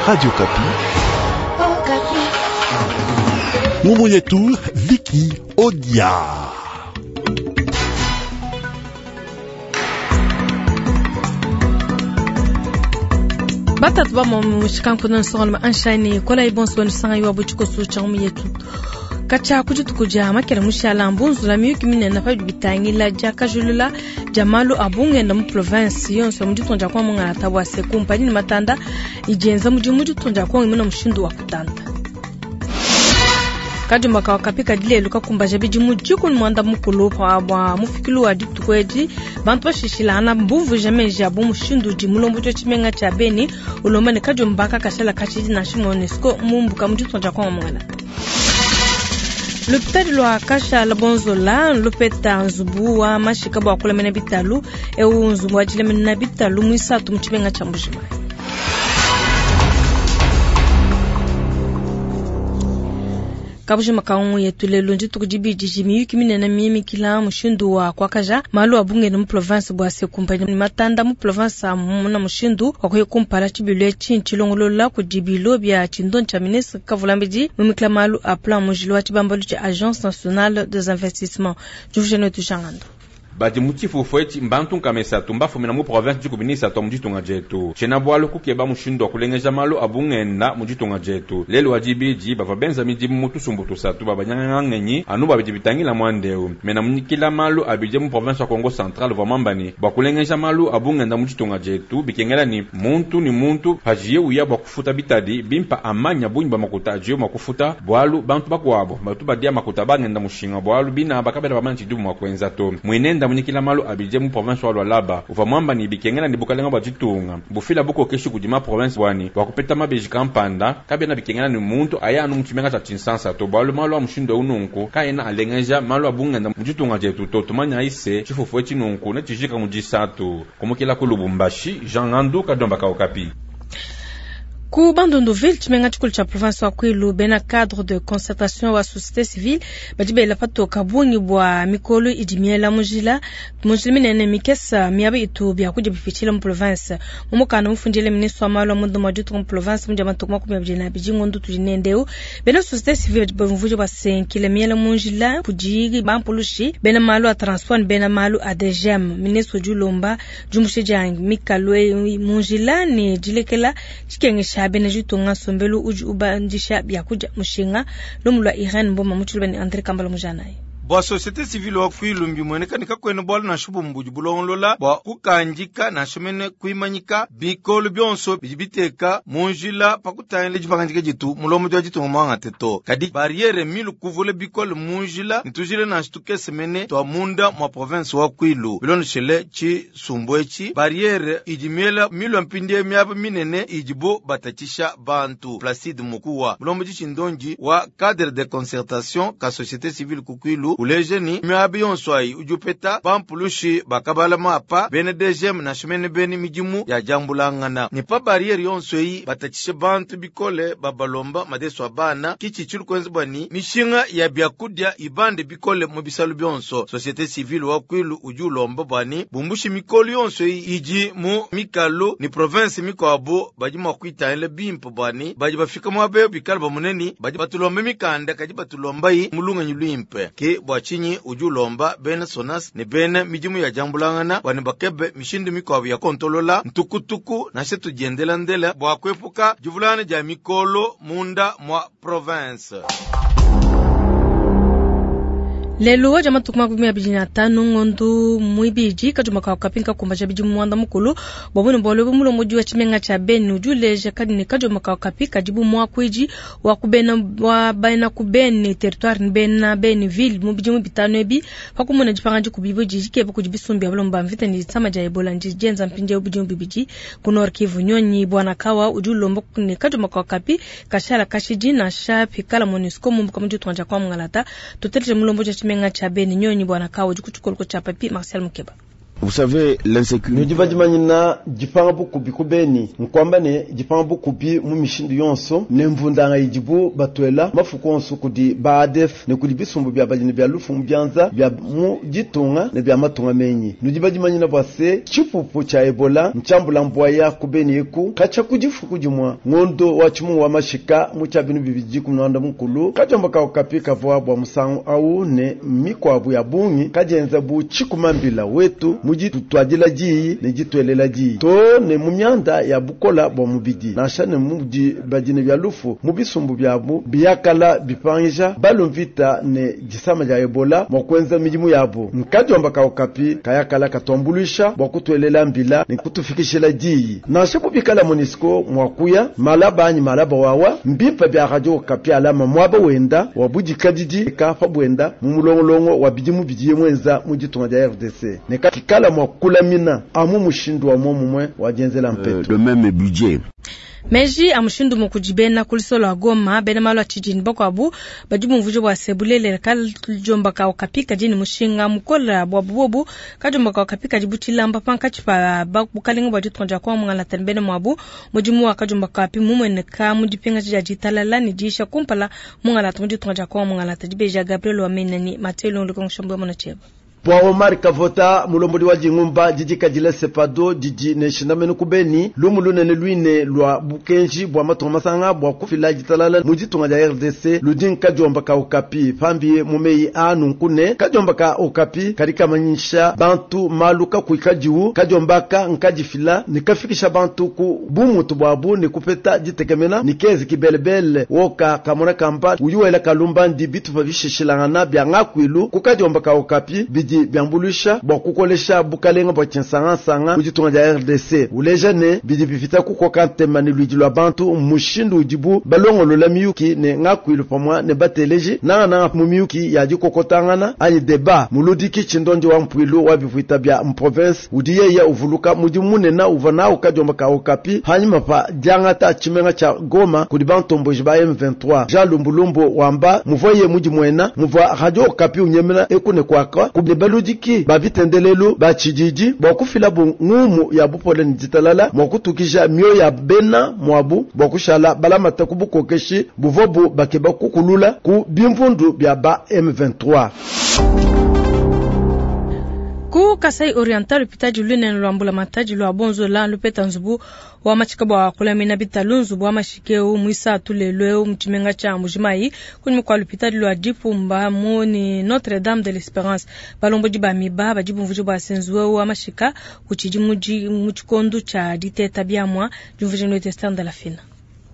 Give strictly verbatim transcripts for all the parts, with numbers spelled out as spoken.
Radio Okapi. Ngumu yetu Viki Odia. Batatu ba mo mushikankuno nsonga anshine kola ibonso nsanga yiwa buchikoso cha yetu kacha kudituku dia makela mushala mbunzula miyuki minene pa bitangila dia kajulula dia malu a bungenda mu province yonso mu ditunga dia Kongo mungala bua se kumpani ne matanda idienza mudimu mu ditunga dia Kongo imuna mushindu wa kutanta kajumba kawa kapika dilelu kakumbaja bidimu dikumi muanda mukulu bua mufikilu wa dituku edi bantu bashishilana mbumvuija meji abu mushindu udi mulombodi wa tshimenga tshia Beni ulomba ne kajumba kakashala kashidi nansha MONUSCO mumbuka mu ditunga dia Kongo mungala. Lupitadi lwa Kashala Bonzola lupeta nzubu wa mashika bua kulamena bitalu eu nzubu wa dilamena bitalu muisatu mu tshimenga tshia Mbujimayi. Kabujima kaungu yetu lelo ndituku dibidi miyuki minene mimikila mushindu wa kuakaja malu a bungenda mu province bua se kumpani matanda mu province amuna mushindu wa kuya kumpala tshibilu etshi ntshilongolola kudi bilo bia tshindonyi tshia ministre Kavulambedi mumikila malu a plan mujilo wa tshibambalu tshia Agence nationale des investissements juvujene wetu Jangando. Badi mu tshifufu etshi mbantu nkama isatu mbafumina mu province dikumi ni isatu mu ditunga dietu. Tshiena bualu kukeba mushindu wa kulengeja malu a bungenda mu ditunga dietu. Lelu wa dibidi bavua benza midimu mu tusumbu tusatu babanyanganga ngenyi anu babidi bitangila muandeu. Mena munyikila malu abidi mu province wa Kongo Central vua mamba ni bua kulengeja malu a bungenda mu ditunga dietu bikengela ni muntu ni muntu pajiye uya bua kufuta bitadi bimpa amanya bungi bua makuta ajiye mua kufuta bualu bantu bakuabo batu badia makuta bangenda mushinga bualu bina bakabela bamanya tshidibu mua kuenza to. Muinenda munyikila malu abidie mu province wa Lualaba uvua mwamba ni bikengela ni bukalenga bua ditunga bufila bukokeshi kudi ma province bwani bua kupeta mabeji kampanda kabiena bikengela ni muntu aya anu mu tshimenga tshia Tshinsansa to bualu malu a mushindu eu nunku kaena alengeja malu a bungenda mu ditunga dietu to. Tumanya ise tshifufu etshi nunku ne tshijika mu disatu kumukila ku Lubumbashi. Jean Ngandu Kadomba ka Okapi. Ku Bandundu-ville tshimenga tshikulu tshia province wa Kwilu bena cadre de concertation wa société civile badi bela patoka bungi bua mikolo idi miela mujila mujila minene mikesa miaba itu biakudia bipitshila mu province. Mu mukanda mufundile ministre wa malu a munda mua ditunga mu province mu dia matuku makumi abidi na abidi ngondo tudi nendeu bena société civile badi bumvuija basenkile miela munjila kudi bampulushi bena malu a transport ne bena malu a D G M. Ministre udi ulomba diumbusha dia mikalo munjila ne dilekela tshikengesha bena ditunga nsombelu udi ubandisha biakudia mushinga. Lumu lua Irene Mboma mutshilubeni ne André Kambala Mujanayi. Bua société civile wa Kwilu mbimueneka ne kakuena bualu nansha bumue budi bulongolola bua kukandika nansha mene kuimanyika bikolo bionso bidi biteka mu njila pa kutangila dipangadika ditu mulombodi wa ditunga muangate to. Kadi barriere milu kuvula bikolo mu njila ne tujila nansha tukese mene tua munda mua province wa Kwilu. Bilondeshele tshisumbu etshi barriere idi miela milu mpindie miaba minene idibo batatshisha bantu. Placide Mukuwa mulombodi tshindonji wa cadre de concertation ka société civile ku Kwilu uleje ni miabi yonso ayi udi upeta bampulushi bakabala mapa bene D G M nansha mene bene midimu ya diambulangana. Ni pa barriere yonso eyi batatshishe bantu bikole babalomba madeso a bana kitshitshi lukuenza bua ni mishinga ya biakudia ibande bikole mu bisalu bionso. Société civile wa Kwilu udi ulomba bua ni bumbushi mikolo yonso eyi idi mu mikalu ni province mikuabu badi mua kuitangila bimpe bua ni badi bafika muaba bikale bamuneni badi batulomba mikanda kadi batulombayi mulunganyi luimpe. Ke bua tshinyi udi ulomba bena Sonas ne bena midimu ya diambulangana bua ne bakebe mishindu mikuabu ya kontolola ntukutuku nansha tudiendelandela bua kuepuka divulana dia mikolo munda mua province. Lelo wa matuku makumi abidi na atanu ngondo muibidi kajuma ka kapinka kumbaja bidi muanda mukulu bua bune bualu ebu mulombodi wa tshimenga tshia Beni udi uleja kadi ne kajuma ka kapi kadi bu muakuidi wa kubena wa bena ku Beni territoire ne bena Beni ville mu bidimu bitanu ebi pakumona dipanga dikubi dikeba kudi bisumbi bia balomba mvita ne disama dia Ebola ndi dienza mpindieu bidimu bibidi ku Nord Kivu. Nyonyi Bwana Kawa udi ulomba ne kajuma ka kapi kashala kashidi nansha pikala MONUSCO mumbuka mu ditunga dia Kongo Ngalata tuteleje mulombodi wa tshimenga tshia Beni Nyonyi Bwana Kawa udi ku tshikoloko tshia Papi Marcel Mukeba. Vous savez, l'insécurité. Nudi badimanyina dipanga bukubi ku Beni, nkwamba ne dipanga bukubi mu mishindu yonso ne mvundanga idibu batwela mafuku onso kudi ba A D F ne kudi bisumbu bya badini bya lufu mu byanza bya mu ditunga ne bya matunga menyi. Nudi badimanyina bwa se tshipupu tsha Ebola ntshiambula mbwaya ku Beni eku katsha kudifuku dimwa ngondo wa tshimungu wa mashika mu tshia binu bibidi ku mwanda mukulu kajomba ka Okapi kavua bwa musangu au ne mikwabu ya bungi kajenza bu tshikumambila wetu muji tutwadila diyi ne jitwelela diyi to ne mu myanda ya bukola bwa mubidi nansha ne mudi badine bya lufu mu bisumbu byabu biyakala bipangija balumvita ne disama dia Ebola mwa kwenza midimu yabu. Nkajomba ka Okapi kayakala katuambulisha bwa kutwelela mbila ne kutufikishila diyi nansha kubikala MONUSCO mwa kuya malaba anyi malaba wawa mbimpa bya radio Okapi alama mwaba wenda wa budikadidi ka pa bwenda mu mulongolongo wa bidimu bidiye mwenza mu ditunga dia R D C ne kikala mwa kulamina amu mushindu wa momumwe wa jenzela mpeto. Le même budget. Meji a mushindu mukujibena kulisolo agoma bena malu achijini bakwabu badi bumvuje bwa sebulele kajomba ka Okapi kadini mushinga mukola bwa bubobu kajomba ka Okapi kadi butilamba pankachi pa bukalinga bwa ditonja kwa mungala tanbene mwabu mudimu wa kajomba ka Okapi mumwene ka mudipinga ja ditalala ni disha kumpala mungala tumu ditonja kwa mungala tadibeja Gabriel wa menani matelo lukonshombo mona cheba. Bwa Omar Kavota mulombodi wa jingumba jiji kajile sepado jiji ne shindamenu kubeni lumu lunene luine lwa bukenji bwa matunga masanga bwa kufila jitalala mujitunga ja R D C ludin kajomba ka Okapi pambi mumeyi anu nkune kajomba ka Okapi karika manyisha bantu maluka kuikajiu kajomba ka nkajifila nikafikisha bantu ku bumutu bwabu ni kupeta jitekemena nikezi kibelebele woka kamona kamba uyuwela kalumba ndi bitu pavishishilangana bya ngakwilu kukajomba ka Okapi bidi byambulusha bwa kukolesha bukalenga bwa tshinsangansanga muditunga dia R D C uleja ne bidi bifita kukoka ntema ne luidi lwa bantu mushindu udibu balongolola miyuki ne ngakwilu pamwa ne bateleji nanga mu miyuki ya dikokotangana anyi deba muludiki tshindondi wa mpwilu wa bivuita bya mprovince udi yeye uvuluka mudi munena uva nawu kajomba ka Okapi hanyuma pa diangata tshimenga tsha Goma kudi bantomboji ba M vingt-trois Jean Lumbulumbu wamba muvoye mudi mwena muvua radio Okapi unyemena ekune kwaka kubne baludiki babitendelelu bachijiji bwa kufila bungumu ya bupole ni ditalala mwa kutukisha mioyo ya bena mwabu bwa kushala balamata kubukokeshi buvobu bakeba kukulula ku bimvundu bya ba M vingt-trois. Ku Kasai Oriental lupitaji lunene lwa mbula mataji lwa bonzola lupeta nzubu wa machika bwa kulamina bitalu nzubu wa mashikeu mwisa tulelwe mchimenga cha Mbujimayi kunyuma kwa lupitaji lwa Dipumba muni Notre Dame de l'Espérance balomboji ba miba bajibumvuji bwa senzuwe wa mashika kuchiji muji muchikondu cha diteta byamwa jumvuji no testanda la fina.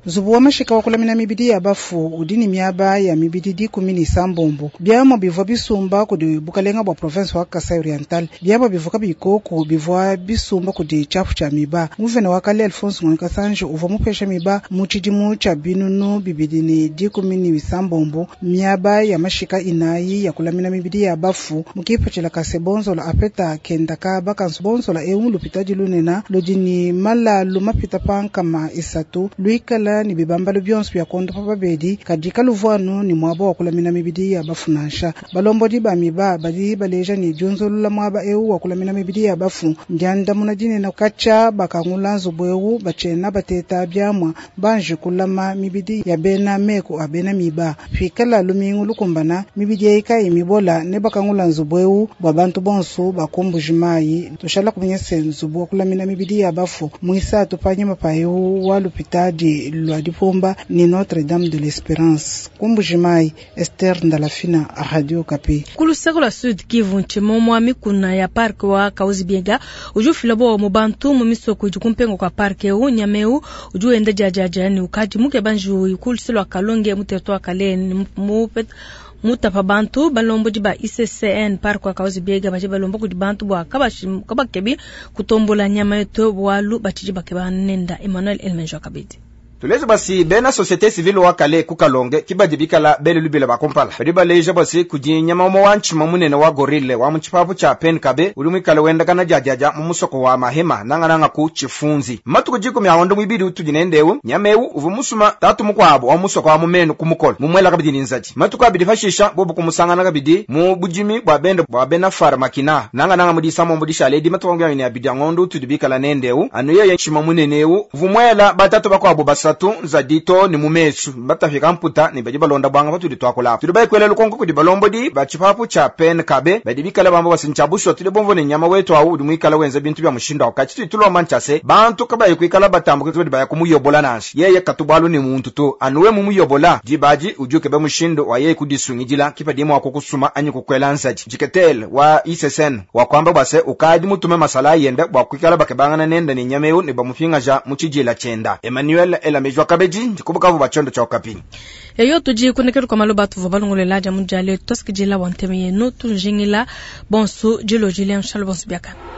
Zubu wa mashika wa kulamina mibidi ya bafu udini miaba ya mibidi di kumi ni sambombo byamo bivwa bisumba kudi bukalenga bwa province wa Kasai Oriental byamo bivuka bikoko bivwa bisumba kudi chafu cha miba muvene wa kale Alphonse Ngonika Sanje uvwa mupesha miba mu tshidimu tsha binunu bibidi ni di kumi ni sambombo miaba ya mashika inayi ya kulamina mibidi ya bafu mukipachila kase bonzola apeta kenda ka bakansu bonzola eu lupitadi lunena ludini mala lumapita pankama isatu luikala ni bibambalo byonso bya kondo pa babedi kadika luvuanu ni mwaba wa kulamina mibidi ya bafu nansha balombodi ba miba badi baleja ni dyonzolula mwaba eu wa kulamina mibidi ya bafu ndyandamuna dinene kacha bakangula nzubu eu bachena bateta byamwa banje kulama mibidi ya bena meko abena miba fikala lumingu lukumbana mibidi yaika imibola ne bakangula nzubu eu bwa bantu bonso bakumbuji mayi tushala kumenyese nzubu wa kulamina mibidi ya bafu mwisa tupanyima pa eu wa lupitadi lwa Dipumba ni Notre Dame de l'Espérance. Kumbujimai, Esther Ndalafina, Radio Okapi. Kuluseko la Sud Kivu nchimo mwa mikuna ya park wa Kauzi Biega ujufila bo mubantu mu misoko idikumpengo kwa park eu nyameu ujuenda jajaja ni ukaji muke banju ikuluselo akalonge muteto akale mu mutapa bantu balombo di ba I C C N park wa Kauzi Biega baje balombo kudi bantu bwa kabashi kabakebi kutombola nyama yeto bwalu bachiji bakeba nenda Emmanuel Elmenjo kabidi. Tuleja basi bena société civile wa kale ku Kalonge kibadi bikala bele lubila bakumpala. Badi baleja basi kudi nyama umue wa ntshima munene wa gorille wa mu tshipapu tshia Penkabe udi muikale wendakana diadiadia mu musoko wa Mahema nangananga ku Tshifunzi. Matuku dikumi a ngondo muibidi utudi nende nyama ewu uvua musuma tatu mukuabu wa musoko wa mumenu ku mukolo mumuela kabidi ni nzadi. Matuku abidi pashisha bobu kumusangana kabidi mu budimi bua bende bua bena farmakina nangananga mu disamombo dishale edi matuku makumi abidi abidi a ngondo utudi bikala nende anu yeye ntshima munene ewu uvua muela batatu bakuabu basatu nzadi to ni mu mesu batafika mputa ni badi balonda bwanga patudi twakula. Tudi bayikwela lukonko kudi balombodi ba tshipapu tshia Penkabe badi bikala bamba basi ntshia bushuwa tudi bomvua ne nyama wetu awu udi muikala wenza bintu bia mushindu awu. Katshi tudi tulomba ntshia se bantu kabayi kuikala batambuka badi baya kumuyobola nansha yeye katu bualu ni muntu to anuwe mumuyobola dibadi udi ukeba mushindu wa yeye kudisungidila kipadi mua kukusuma anyi kukwela nzadi. Jiketel wa I S S N wa kwamba bwa se ukadi mutume masala yenda bwa kuikala bakebangana nenda ni nyama ewu ne bamupingaja mu tshidila tshienda. Emmanuel Elamejwa Kabedi ndikubukavu bwa tshiondo tshia Okapi. Eyo tudi kunekelu kwa maloba tuvua balongolela dia mudiale tuasikidila wa nteme yenu tunjingila bonso dilo jile nshalo bonso biakana.